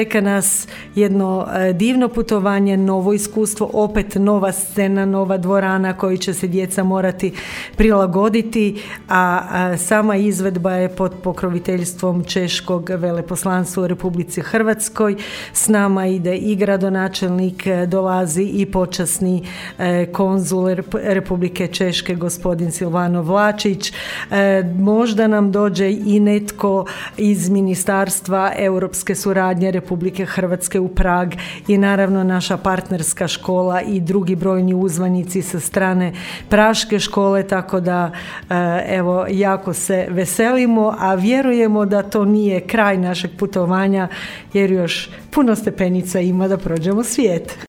Čeka nas jedno divno putovanje, novo iskustvo, opet nova scena, nova dvorana koju će se djeca morati prilagoditi, a sama izvedba je pod pokroviteljstvom Češkog veleposlanstva u Republici Hrvatskoj. S nama ide i gradonačelnik, dolazi i počasni konzul Republike Češke, gospodin Silvano Vlačić. Možda nam dođe i netko iz Ministarstva europske suradnje Republike Hrvatske u Prag i naravno naša partnerska škola i drugi brojni uzvanici sa strane Praške škole, tako da evo jako se veselimo, a vjerujemo da to nije kraj našeg putovanja jer još puno stepenica ima da prođemo svijet.